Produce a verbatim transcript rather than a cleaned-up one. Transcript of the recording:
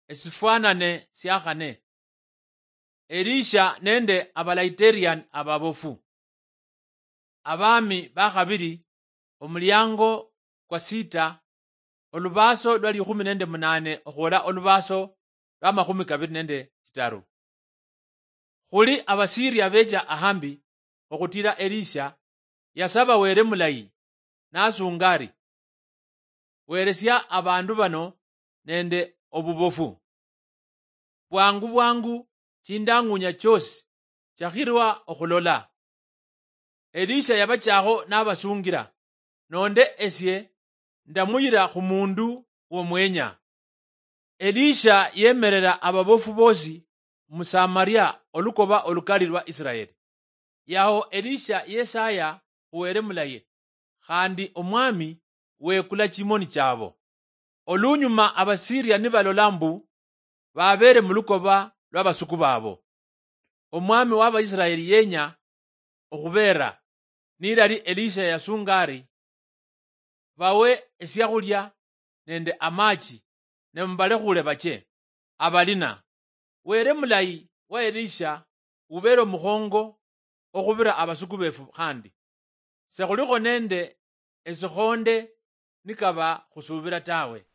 Esifwanane sia khane. Elisha nende abalaiteriyani ababofu. Abaami bakhabili, omuliango kwa sita, olubaaso lwa likhumi nende munaane okhwola olubaaso lwa makhumi kabili nende chitaru. Khuli Abasiria becha ahambi okhutila Elisha, yasaba Wele mulayi, nasunga ari, "Weresia abandu bano nende obubofu. Bwangu bwangu, chindang'unya chiosi chakhirwa okhulola." Elisha yabachakho nabasungila, "Nonde esie ndamuyila khu mundu womwenya." Elisha yemerera ababofu bosi mu Samaria, olukoba olukali lwa Israeli. Yaho Elisha yesaya khu Wele mulayi, khandi Omwami wekula chimoni chabo. Olunyuma Abasiria nibalola mbu babeere mu lukoba lwa basuku babo, Omwami wa Baisiraeli yenya okhubeera, nilali Elisha yasunga ari, "Bawe esiakhulia nende amachi, ne mubalekhule bache." Abalina, Wele mulayi wa Elisha ubeere omukhongo okhubira abasuku befu khandi. Sekhulikho nende esikhonde nikaba khusubira tawe.